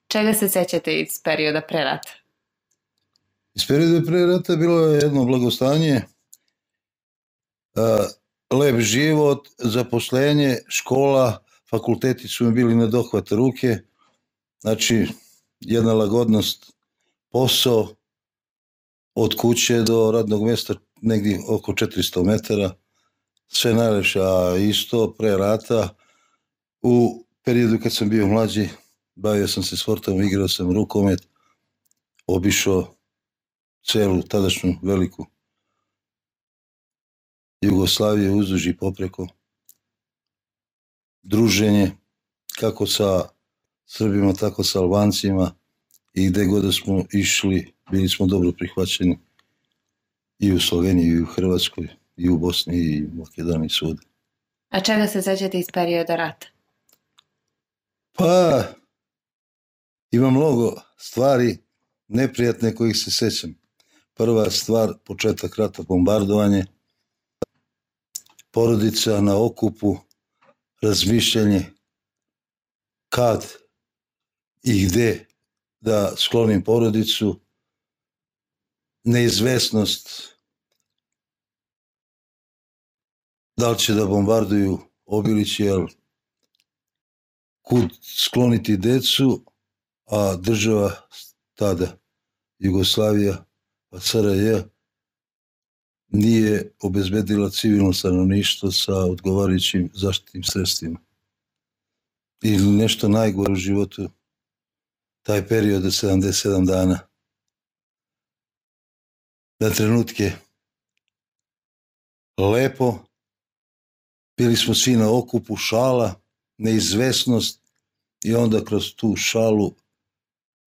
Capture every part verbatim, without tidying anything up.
Čega se sećate iz perioda pre rata? Iz perioda pre rata bilo je jedno blagostanje, lep život, zaposlenje, škola, fakulteti su mi bili na dohvat ruke, znači jedna lagodnost, posao od kuće do radnog mjesta negdje oko četiristo metara, sve najlepše, a isto pre rata u periodu kad sam bio mlađi bavio sam se sportom, igrao sam rukomet, obišao celu tadašnju veliku Jugoslaviju uzduž i popreko, druženje kako sa Srbima tako sa Albancima i gde god da smo išli bili smo dobro prihvaćeni i u Sloveniji i u Hrvatskoj i u Bosni i u Makedoniji svuda. A čega se sećate iz perioda rata? Pa ima mnogo stvari neprijatne kojih se sećam. Prva stvar, početak rata, bombardovanje, porodica na okupu, razmišljanje kad i gde da sklonim porodicu, neizvesnost da li će da bombarduju Obilići, jer kud skloniti decu, a država tada, Jugoslavija, pa C R J, nije obezbedila civilno stanovništvo sa odgovarajućim zaštitnim sredstvima. I nešto najgore u životu, taj period od sedamdeset sedam dana. Na trenutke lepo, bili smo svi na okupu, šala, neizvesnost i onda kroz tu šalu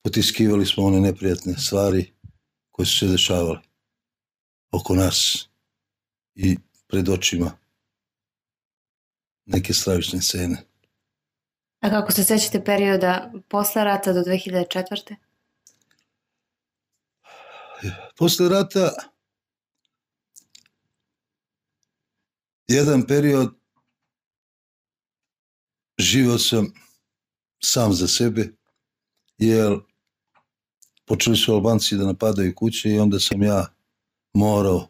potiskivali smo one neprijatne stvari koje su se dešavale oko nas i pred očima neke stravične scene. A kako se sećate perioda posle rata do dve hiljade četvrte? Posle rata jedan period živio sam sam za sebe, jer počeli su Albanci da napadaju kuće i onda sam ja morao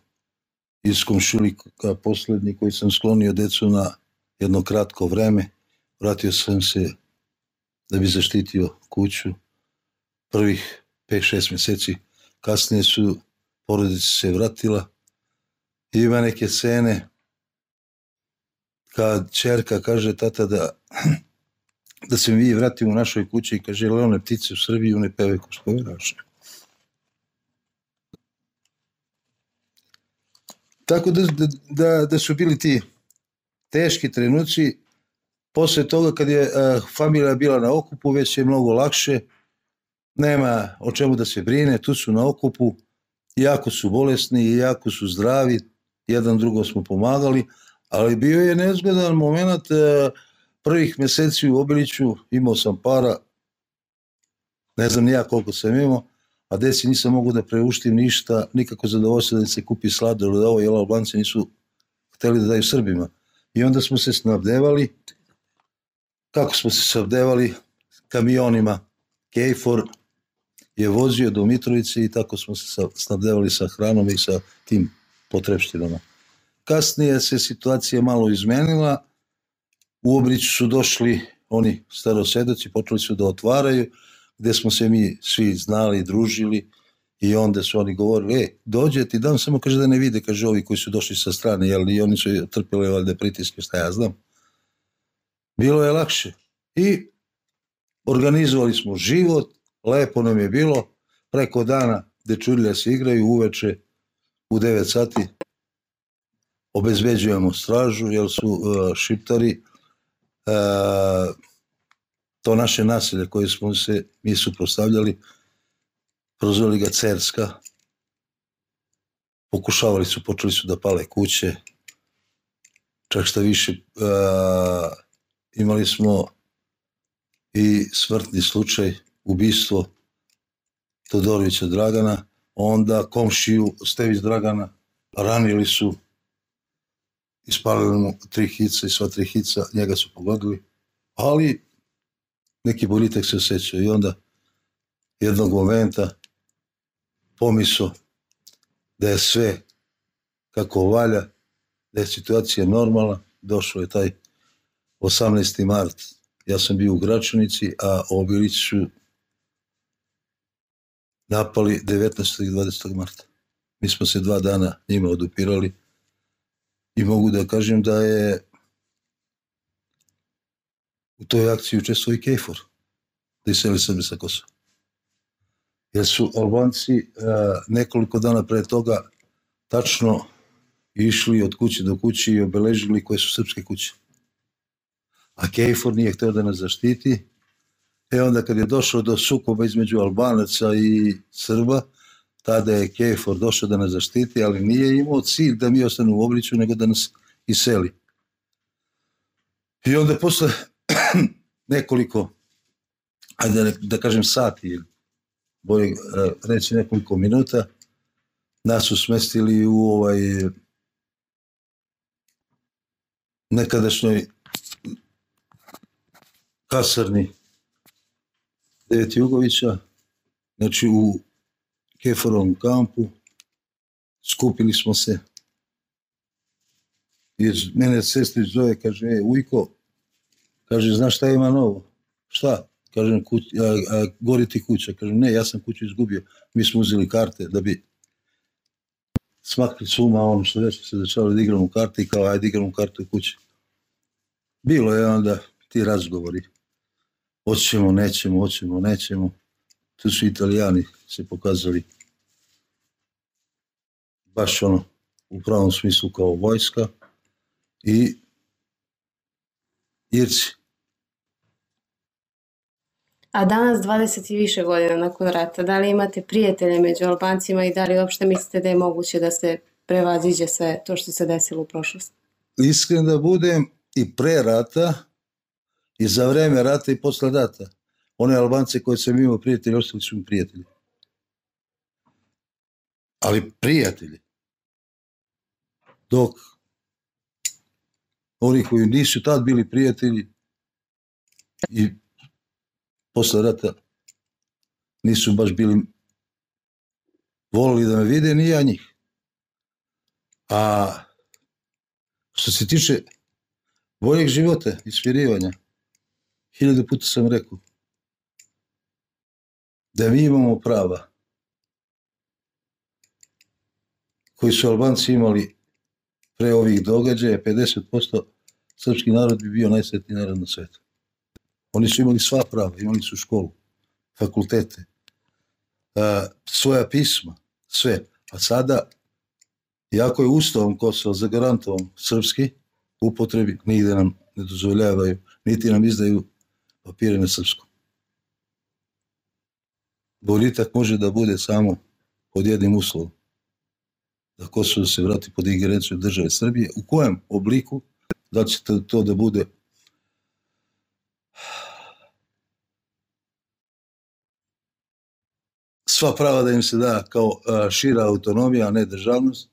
iz komšilika poslednji koji sam sklonio decu na jedno kratko vreme. Vratio sam se da bi zaštitio kuću. Prvih pet šest mjeseci kasnije su porodica se vratila. I ima neke scene kad ćerka kaže tata da da se mi vratimo u našoj kući i kaže one ptice u Srbiji, one peve ko spomeraše. Tako da, da, da su bili ti teški trenuci. Posle toga kad je uh, familija bila na okupu, već je mnogo lakše, nema o čemu da se brine, tu su na okupu, jako su bolesni, jako su zdravi, jedan drugom smo pomagali, ali bio je nezgodan moment, uh, prvih mjeseci u Obiliću imao sam para, ne znam ni ja koliko sam imao, a deci nisam mogu da preuštim ništa, nikako zadovoljstvo da se kupi sladoled od ovo, jer Albanci nisu hteli da daju Srbima. I onda smo se snabdevali, kako smo se snabdevali, kamionima, Kejfor je vozio do Mitrovice i tako smo se snabdevali sa hranom i sa tim potrepštinama. Kasnije se situacija malo izmenila, u Obiliću su došli oni starosedoci, počeli su da otvaraju, gde smo se mi svi znali, družili i onda su oni govorili, e, dođe ti dam, samo kaže da ne vide, kaže ovi koji su došli sa strane, jer i oni su trpili valjda pritiske, šta ja znam. Bilo je lakše i organizovali smo život, lepo nam je bilo, preko dana dečurlja se igraju, uveče u devet sati obezbeđujemo stražu, jer su uh, šiptari uh, to naše naselje koje smo se mi suprotstavljali, prozvali ga Cerska, pokušavali su, počeli su da pale kuće, čak šta više uh, imali smo i smrtni slučaj, ubistvo Todorovića Dragana, onda komšiju Stević Dragana ranili su, ispalili mu tri hica i sva tri hica njega su pogodili, ali neki boljitak se osjećao i onda jednog momenta pomiso da je sve kako valja, da je situacija normalna. Došao je taj osamnaesti mart, ja sam bio u Gračanici, a obilići su napali devetnaestog i dvadesetog marta. Mi smo se dva dana njima odupirali i mogu da kažem da je u toj akciji učestvovao i KFOR, da iseli Srbe sa Kosova. Jer su Albanci a, nekoliko dana pre toga tačno išli od kuće do kuće i obeležili koje su srpske kuće. A KFOR nije hteo da nas zaštiti. E onda kad je došlo do sukoba između Albanaca i Srba, tada je KFOR došao da nas zaštiti, ali nije imao cilj da mi ostanu u Obiliću, nego da nas iseli. I onda posle nekoliko, ajde da, da kažem sati, ili bolje reći nekoliko minuta, nas su smestili u ovaj nekadašnjoj kasarni Devet Jugovića, znači u KFOR-ovom kampu. Skupili smo se. I mene sestrić zove, kaže, e, Ujko, kaže, znaš šta ima novo? Šta? Kažem, kuć, a, a, gori ti kuća. Kažem, ne, ja sam kuću izgubio. Mi smo uzeli karte da bi smakli suma ono što već se začali da igramo karte i kao, ajde igramo kartu u kući. Bilo je onda ti razgovori. Hoćemo, nećemo, hoćemo, nećemo. Tu su Italijani se pokazali baš ono u pravom smislu kao vojska i Irci. A danas, dvadeset i više godina nakon rata, da li imate prijatelje među Albancima i da li uopšte mislite da je moguće da se prevaziđe sve to što se desilo u prošlosti? Iskren da budem, i pre rata, i za vreme rata i posle rata, one Albance koje sam imao prijatelji, ostali su mi prijatelji. Ali prijatelji. Dok oni koji nisu tad bili prijatelji i posle rata nisu baš bili volili da me vide, ni ja njih. A što se tiče boljeg života i smirivanja, hiljadu puta sam rekao da mi imamo prava koji su Albanci imali pre ovih događaja, pedeset posto srpski narod bi bio najsretniji narod na svetu. Oni su imali sva prava, imali su školu, fakultete, a, svoja pisma, sve. A sada, iako je Ustavom Kosova zagarantovan srpski upotrebi, nigde nam ne dozvoljavaju, niti nam izdaju papire na srpskom. Boljitak može da bude samo pod jednim uslovom, da Kosovo se vrati pod ingerenciju države Srbije. U kojem obliku, da će to da bude sva prava da im se da kao šira autonomija, a ne državnost,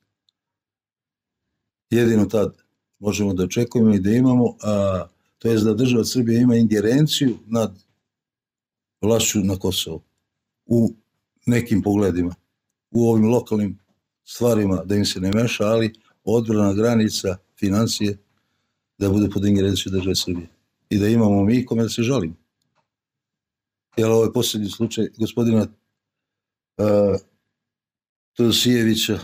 jedino tad možemo da očekujemo i da imamo, a, to je da država Srbije ima ingerenciju nad vlašću na Kosovu u nekim pogledima, u ovim lokalnim stvarima da im se ne meša, ali odbrana granica, financije, da bude pod ingerencijom države Srbije. I da imamo mi kome da se žalimo. Jer ovo je posljednji slučaj gospodina uh, Todosijevića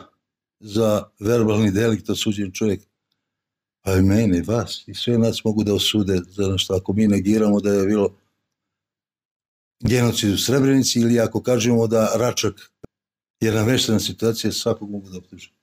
za verbalni delikt, osuđen čovjek. Pa i mene, vas, i sve nas mogu da osude za nešto. Ako mi negiramo da je bilo genocid u Srebrenici ili ako kažemo da Račak je nameštena situacija, svakog mogu da optuže.